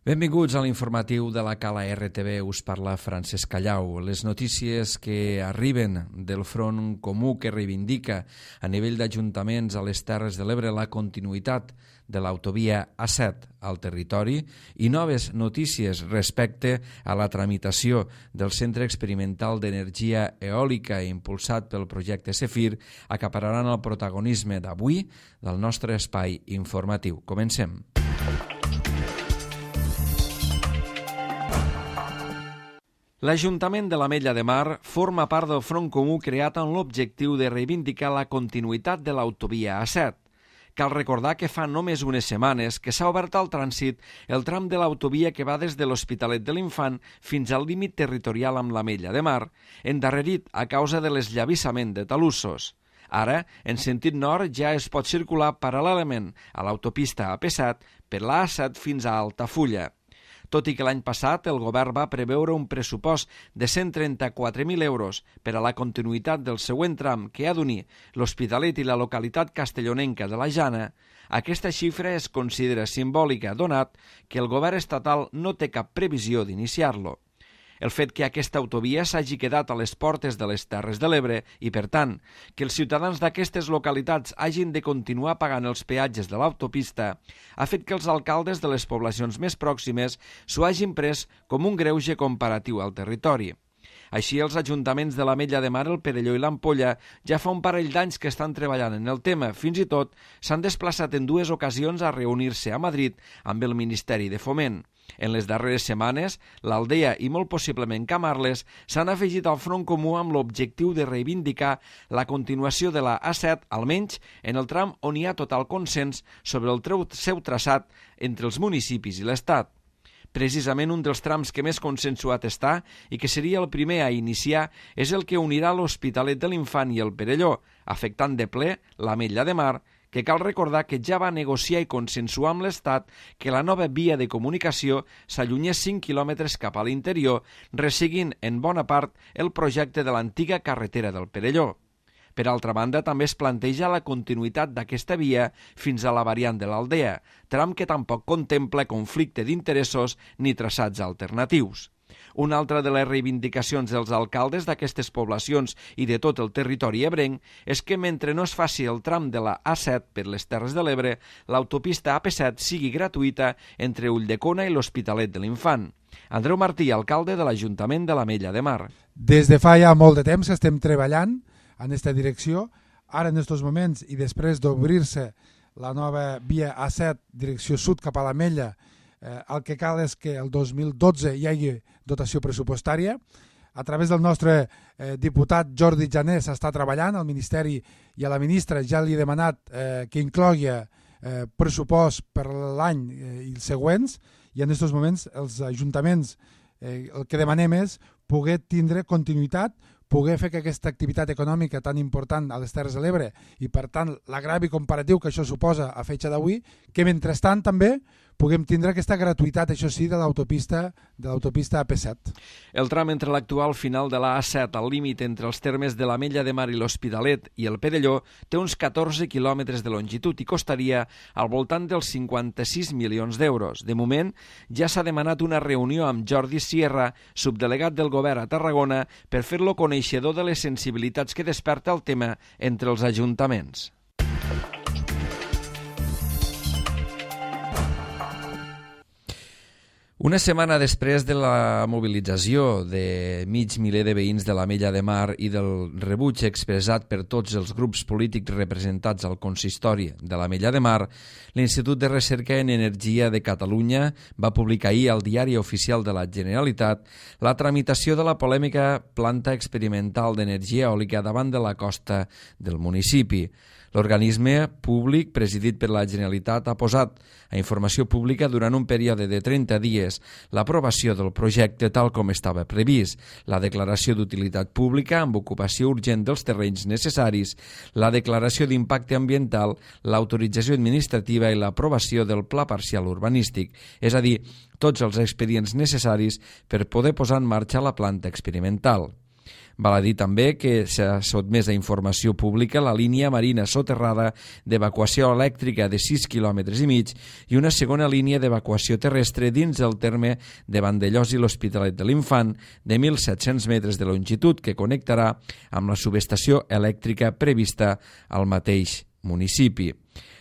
Benvinguts a l'informatiu de la Cala RTV, us parla Francesc Callau. Les notícies que arriben del Front Comú que reivindica a nivell d'ajuntaments a les Terres de l'Ebre la continuïtat de l'autovia A7 al territori i noves notícies respecte a la tramitació del Centre Experimental d'Energia Eòlica impulsat pel projecte CEFIR acapararan el protagonisme d'avui del nostre espai informatiu. Comencem. L'Ajuntament de l'Ametlla de Mar forma part del Front Comú creat amb l'objectiu de reivindicar la continuïtat de l'autovia A7. Cal recordar que fa només unes setmanes que s'ha obert al trànsit el tram de l'autovia que va des de l'Hospitalet de l'Infant fins al límit territorial amb l'Ametlla de Mar, endarrerit a causa de l'esllavissament de talussos. Ara, en sentit nord, ja es pot circular paral·lelament a l'autopista AP7 per la A7 fins a Altafulla. Tot i que l'any passat el govern va preveure un pressupost de 134.000 euros per a la continuïtat del següent tram que ha d'unir l'Hospitalet i la localitat castellonenca de la Jana, aquesta xifra es considera simbòlica donat que el govern estatal no té cap previsió d'iniciar-lo. El fet que aquesta autovia s'hagi quedat a les portes de les Terres de l'Ebre i, per tant, que els ciutadans d'aquestes localitats hagin de continuar pagant els peatges de l'autopista ha fet que els alcaldes de les poblacions més pròximes s'ho hagin pres com un greuge comparatiu al territori. Així, els ajuntaments de l'Ametlla de Mar, el Perelló i l'Ampolla ja fa un parell d'anys que estan treballant en el tema. Fins i tot s'han desplaçat en dues ocasions a reunir-se a Madrid amb el Ministeri de Foment. En les darreres setmanes, l'Aldea i molt possiblement Camarles s'han afegit al Front Comú amb l'objectiu de reivindicar la continuació de la A7, almenys en el tram on hi ha total consens sobre el seu traçat entre els municipis i l'Estat. Precisament un dels trams que més consensuat està i que seria el primer a iniciar és el que unirà l'Hospitalet de l'Infant i el Perelló, afectant de ple l'Ametlla de Mar, que cal recordar que ja va negociar i consensuar amb l'Estat que la nova via de comunicació s'allunyés 5 quilòmetres cap a l'interior, resseguint en bona part el projecte de l'antiga carretera del Perelló. Per altra banda, també es planteja la continuïtat d'aquesta via fins a la variant de l'Aldea, tram que tampoc contempla conflicte d'interessos ni traçats alternatius. Una altra de les reivindicacions dels alcaldes d'aquestes poblacions i de tot el territori ebrenc és que mentre no es faci el tram de la A7 per les Terres de l'Ebre, l'autopista AP7 sigui gratuïta entre Ulldecona i l'Hospitalet de l'Infant. Andreu Martí, alcalde de l'Ajuntament de l'Ametlla de Mar. Des de fa ja molt de temps estem treballant en aquesta direcció. Ara, en aquests moments, i després d'obrir-se la nova via A7 direcció sud cap a l'Ametlla, el que cal és que el 2012 hi hagi dotació pressupostària. A través del nostre diputat Jordi Jané s'està treballant, al Ministeri i a la ministra ja li he demanat que inclogui pressupost per l'any i els següents, i en aquests moments els ajuntaments el que demanem és poder tindre continuïtat, poder fer que aquesta activitat econòmica tan important a les Terres de l'Ebre i, per tant, l'agravi comparatiu que això suposa a fetge d'avui, que mentrestant també puguem tindre aquesta gratuïtat, això sí, de l'autopista AP7. El tram entre l'actual final de la A7 al límit entre els termes de l'Ametlla de Mar i l'Hospitalet i el Perelló té uns 14 quilòmetres de longitud i costaria al voltant dels 56 milions d'euros. De moment, ja s'ha demanat una reunió amb Jordi Sierra, subdelegat del govern a Tarragona, per fer-lo coneixedor de les sensibilitats que desperta el tema entre els ajuntaments. Una setmana després de la mobilització de mig miler de veïns de l'Ametlla de Mar i del rebuig expressat per tots els grups polítics representats al consistori de l'Ametlla de Mar, l'Institut de Recerca en Energia de Catalunya va publicar ahir al Diari Oficial de la Generalitat la tramitació de la polèmica planta experimental d'energia eòlica davant de la costa del municipi. L'organisme públic presidit per la Generalitat ha posat a informació pública durant un període de 30 dies l'aprovació del projecte tal com estava previst, la declaració d'utilitat pública amb ocupació urgent dels terrenys necessaris, la declaració d'impacte ambiental, l'autorització administrativa i l'aprovació del pla parcial urbanístic, és a dir, tots els expedients necessaris per poder posar en marxa la planta experimental. Val a dir també que s'ha sotmès a informació pública la línia marina soterrada d'evacuació elèctrica de 6,5 km i una segona línia d'evacuació terrestre dins el terme de Vandellòs i l'Hospitalet de l'Infant de 1.700 metres de longitud que connectarà amb la subestació elèctrica prevista al mateix municipi.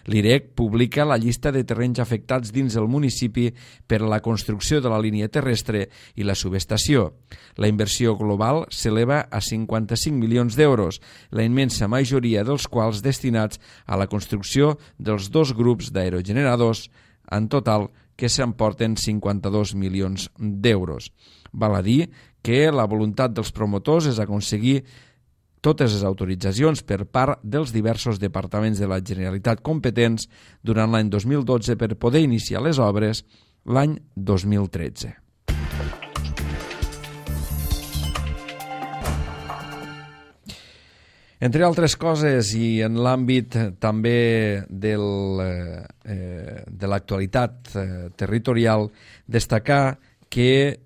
L'IREC publica la llista de terrenys afectats dins el municipi per la construcció de la línia terrestre i la subestació. La inversió global s'eleva a 55 milions d'euros, la immensa majoria dels quals destinats a la construcció dels 2 grups d'aerogeneradors, en total que s'emporten 52 milions d'euros. Val a dir que la voluntat dels promotors és aconseguir totes les autoritzacions per part dels diversos departaments de la Generalitat competents durant l'any 2012 per poder iniciar les obres l'any 2013. Entre altres coses, i en l'àmbit també de l'actualitat territorial, destacar que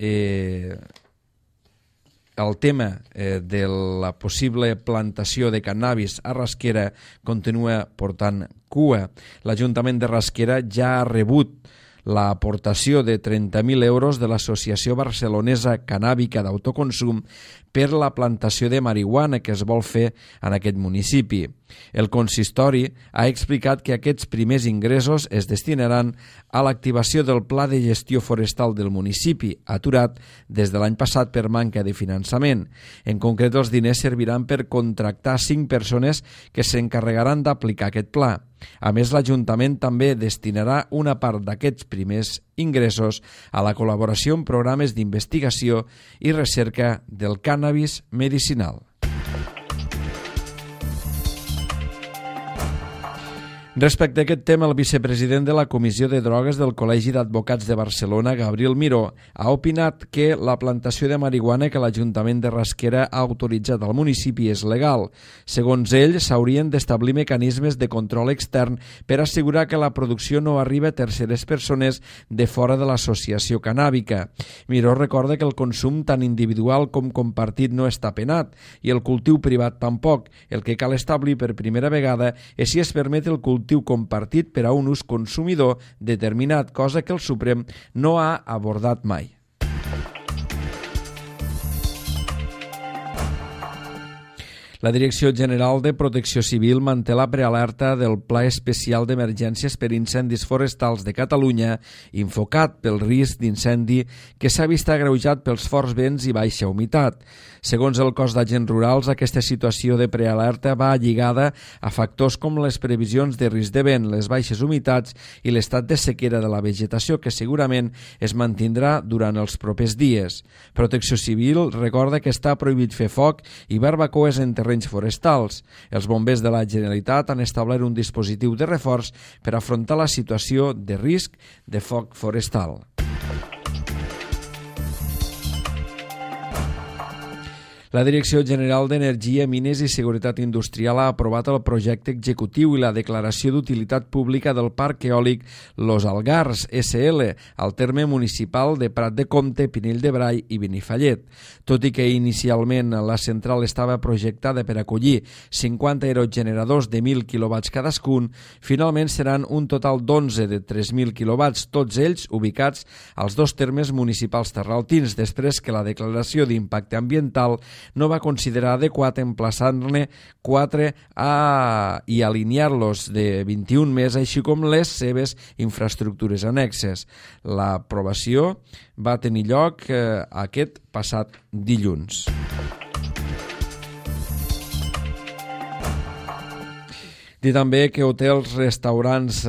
el tema de la possible plantació de cannabis a Rasquera continua portant cua. L'Ajuntament de Rasquera ja ha rebut l'aportació de 30.000 euros de l'Associació Barcelonesa Cannàbica d'Autoconsum per la plantació de marihuana que es vol fer en aquest municipi. El consistori ha explicat que aquests primers ingressos es destinaran a l'activació del Pla de Gestió Forestal del municipi, aturat des de l'any passat per manca de finançament. En concret, els diners serviran per contractar 5 persones que s'encarregaran d'aplicar aquest pla. A més, l'Ajuntament també destinarà una part d'aquests primers ingressos a la col·laboració en programes d'investigació i recerca del cànnabis medicinal. Respecte a aquest tema, el vicepresident de la Comissió de Drogues del Col·legi d'Advocats de Barcelona, Gabriel Miró, ha opinat que la plantació de marihuana que l'Ajuntament de Rasquera ha autoritzat al municipi és legal. Segons ell, s'haurien d'establir mecanismes de control extern per assegurar que la producció no arriba a terceres persones de fora de l'associació cannàbica. Miró recorda que el consum tant individual com compartit no està penat i el cultiu privat tampoc. El que cal establir per primera vegada és si es permet el cultiu compartit per a un ús consumidor determinat, cosa que el Suprem no ha abordat mai. La Direcció General de Protecció Civil manté la prealerta del Pla Especial d'Emergències per Incendis Forestals de Catalunya, Infocat, pel risc d'incendi que s'ha vist agreujat pels forts vents i baixa humitat. Segons el cos d'agents rurals, aquesta situació de prealerta va lligada a factors com les previsions de risc de vent, les baixes humitats i l'estat de sequera de la vegetació, que segurament es mantindrà durant els propers dies. Protecció Civil recorda que està prohibit fer foc i barbacoes en terrenys forestals. Els bombers de la Generalitat han establert un dispositiu de reforç per afrontar la situació de risc de foc forestal. La Direcció General d'Energia, Mines i Seguretat Industrial ha aprovat el projecte executiu i la declaració d'utilitat pública del Parc Eòlic Los Algars, SL, al terme municipal de Prat de Comte, Pinell de Brai i Benifallet. Tot i que inicialment la central estava projectada per acollir 50 aerogeneradors de 1.000 kW cadascun, finalment seran un total d'11 de 3.000 kW, tots ells ubicats als 2 termes municipals terraltins, després que la declaració d'impacte ambiental no va considerar adequat emplaçar-ne 4 i alinear-los de 21 més, així com les seves infraestructures annexes. L'aprovació va tenir lloc aquest passat dilluns. Dir també que hotels, restaurants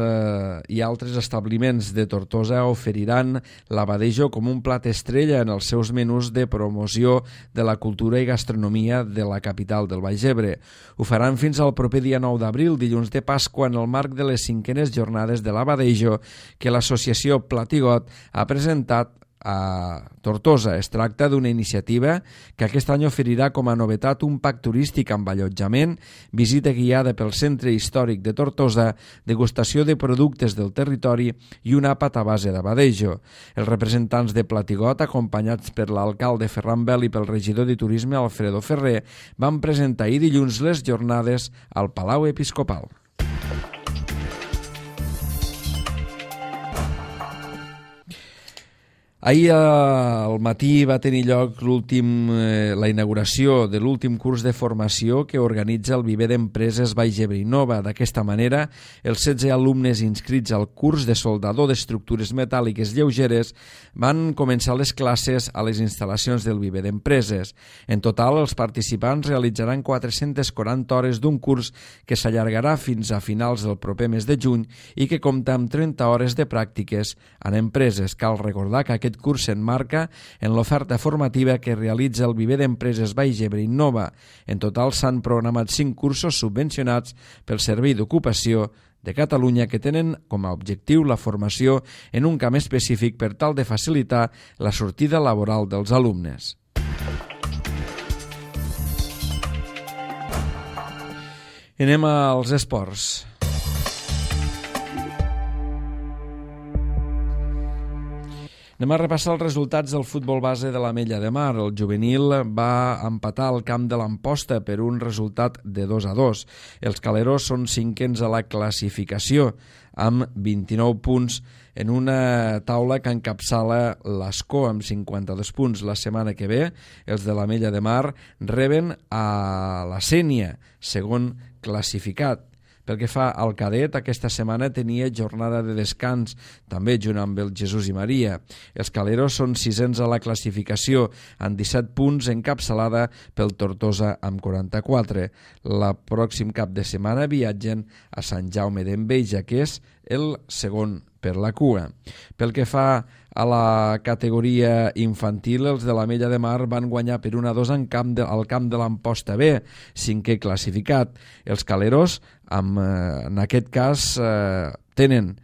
i altres establiments de Tortosa oferiran l'abadejo com un plat estrella en els seus menús de promoció de la cultura i gastronomia de la capital del Baix Ebre. Ho faran fins al proper dia 9 d'abril, dilluns de Pasqua, en el marc de les 5enes jornades de l'abadejo que l'associació Platigot ha presentat a Tortosa. Es tracta d'una iniciativa que aquest any oferirà com a novetat un pack turístic amb allotjament, visita guiada pel centre històric de Tortosa, degustació de productes del territori i un àpat a base d'abadejo. Els representants de Platigot, acompanyats per l'alcalde Ferran Bel i pel regidor de Turisme Alfredo Ferrer, van presentar ahir dilluns les jornades al Palau Episcopal. Ahir al matí va tenir lloc la inauguració de l'últim curs de formació que organitza el Viver d'Empreses Baix Ebre Innova. D'aquesta manera, els 16 alumnes inscrits al curs de soldador d'estructures metàl·liques lleugeres van començar les classes a les instal·lacions del Viver d'Empreses. En total, els participants realitzaran 440 hores d'un curs que s'allargarà fins a finals del proper mes de juny i que compta amb 30 hores de pràctiques en empreses. Cal recordar que aquest curs s'emmarca en l'oferta formativa que realitza el Viver d'Empreses Baix Ebre Innova. En total s'han programat 5 cursos subvencionats pel Servei d'Ocupació de Catalunya que tenen com a objectiu la formació en un camp específic per tal de facilitar la sortida laboral dels alumnes. Anem als esports. Anem a repassar els resultats del futbol base de l'Ametlla de Mar. El juvenil va empatar al camp de l'Amposta per un resultat de 2-2. Els caleros són cinquens a la classificació amb 29 punts en una taula que encapçala l'Escó amb 52 punts. La setmana que ve, els de l'Ametlla de Mar reben a la Sénia, segon classificat. Pel que fa al cadet, aquesta setmana tenia jornada de descans, també junt amb el Jesús i Maria. Els caleros són sisens a la classificació, amb 17 punts, encapçalada pel Tortosa amb 44. La pròxim cap de setmana viatgen a Sant Jaume d'Enveja, que és el segon per la cua. Pel que fa a la categoria infantil, els de l'Ametlla de Mar van guanyar per 1-2 al camp de l'Amposta B, cinquè classificat. Els caleros, en aquest cas, tenen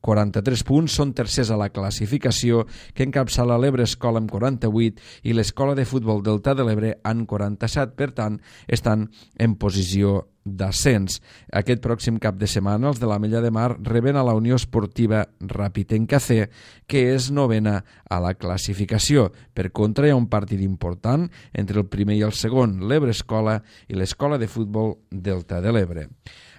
43 punts, són tercers a la classificació, que encapçala l'Ebre Escola amb 48 i l'Escola de Futbol Delta de l'Ebre amb 47, per tant, estan en posició d'ascens. Aquest pròxim cap de setmana els de l'Ametlla de Mar reben a la Unió Esportiva Rapitenca C, que és novena a la classificació. Per contra, hi ha un partit important entre el primer i el segon, l'Ebre Escola i l'Escola de Futbol Delta de l'Ebre.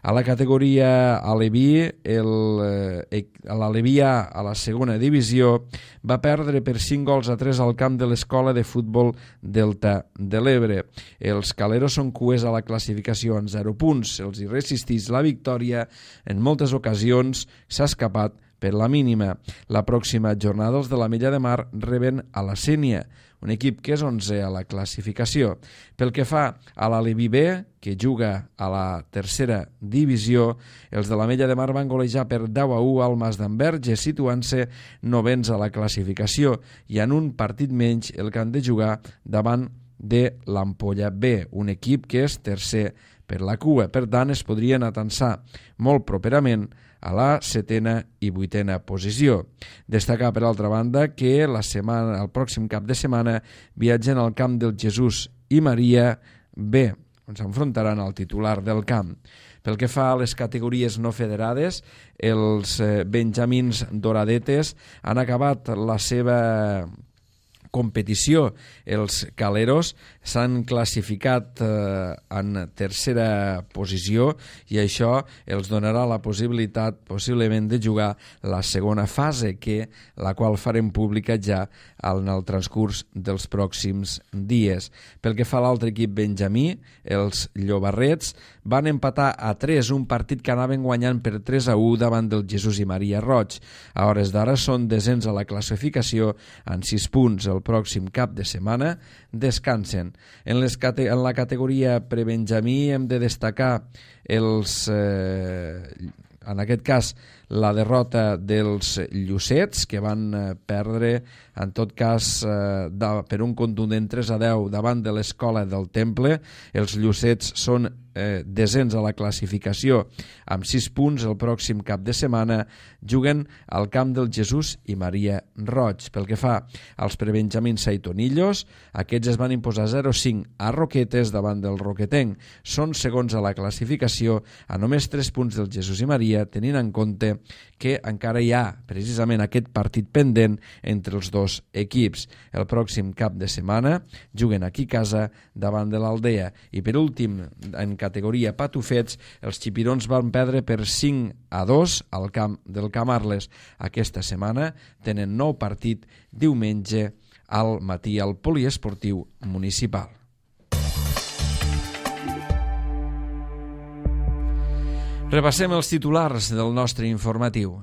A la categoria Aleví, l'Aleví A a la segona divisió va perdre per 5-3 al camp de l'Escola de Futbol Delta de l'Ebre. Els caleros són cues a la classificació en 0 punts. Se'ls hi resisteix la victòria. En moltes ocasions s'ha escapat per la mínima. La pròxima jornada els de l'Ametlla de Mar reben a la Sénia, un equip que és 11è a la classificació. Pel que fa a l'Aleví B, que juga a la tercera divisió, els de l'Ametlla de Mar van golejar per 10-1 al Mas d'Enverge, situant-se novens a la classificació i en un partit menys el que han de jugar davant de l'Ampolla B, un equip que és tercer per la cua. Per tant, es podrien atansar molt properament a la 7a i 8a posició. Destacar, per altra banda, que el pròxim cap de setmana viatgen al camp del Jesús i Maria B, on s'enfrontaran al titular del camp. Pel que fa a les categories no federades, els benjamins doradetes han acabat la seva competició. Els caleros s'han classificat en tercera posició i això els donarà la possibilitat possiblement de jugar la segona fase, la qual farem pública ja en el transcurs dels pròxims dies. Pel que fa a l'altre equip benjamí, els llobarrets van empatar a 3, un partit que anaven guanyant per 3-1 davant del Jesús i Maria Roig. A hores d'ara són desens a la classificació amb 6 punts. El pròxim cap de setmana descansen. En la categoria prebenjamí hem de destacar en aquest cas la derrota dels Llucets, que van perdre, en tot cas, per un contundent 3-10 davant de l'Escola del Temple. Els Llucets són descens a la classificació amb 6 punts. El pròxim cap de setmana juguen al camp del Jesús i Maria Roig. Pel que fa als prebenjamins saitonillos, aquests es van imposar 0-5 a Roquetes davant del Roquetenc. Són segons a la classificació a només 3 punts del Jesús i Maria, tenint en compte que encara hi ha precisament aquest partit pendent entre els dos equips. El pròxim cap de setmana juguen aquí a casa davant de l'Aldea. I per últim, en categoria patufets, els xipirons van perdre per 5-2 al camp del Camarles. Aquesta setmana tenen nou partit diumenge al matí al poliesportiu municipal. Repassem els titulars del nostre informatiu.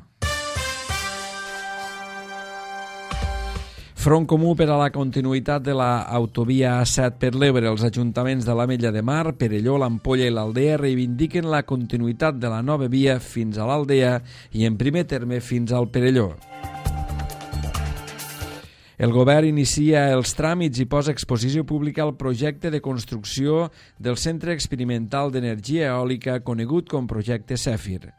Front comú per a la continuïtat de l'autovia A7 per l'Ebre. Els ajuntaments de l'Ametlla de Mar, Perelló, l'Ampolla i l'Aldea reivindiquen la continuïtat de la nova via fins a l'Aldea i, en primer terme, fins al Perelló. El govern inicia els tràmits i posa a exposició pública el projecte de construcció del Centre Experimental d'Energia Eòlica, conegut com Projecte Cèfir.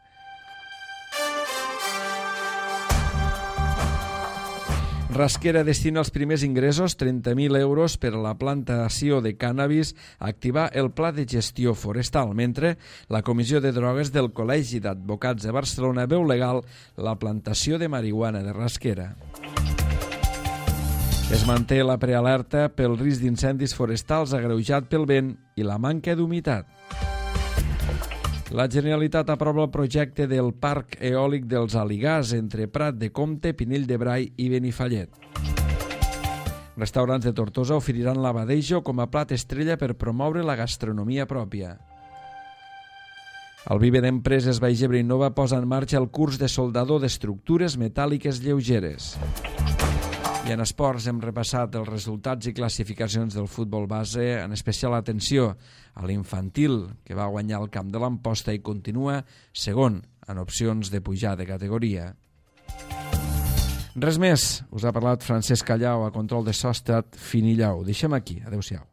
Rasquera destina els primers ingressos, 30.000 euros, per a la plantació de cànnabis a activar el Pla de Gestió Forestal, mentre la Comissió de Drogues del Col·legi d'Advocats de Barcelona veu legal la plantació de marihuana de Rasquera. Es manté la prealerta pel risc d'incendis forestals agreujat pel vent i la manca d'humitat. La Generalitat aprova el projecte del Parc Eòlic dels Aligars entre Prat de Comte, Pinell de Brai i Benifallet. Restaurants de Tortosa oferiran l'abadejo com a plat estrella per promoure la gastronomia pròpia. El Vive d'Empreses Baix-Ebre Innova posa en marxa el curs de soldador d'estructures metàl·liques lleugeres. I en esports hem repassat els resultats i classificacions del futbol base, en especial atenció a l'infantil, que va guanyar el camp de l'Amposta i continua segon en opcions de pujar de categoria. Res més, us ha parlat Francesc Callau, a control de so ha estat Finillau. Deixem aquí, adeu-siau.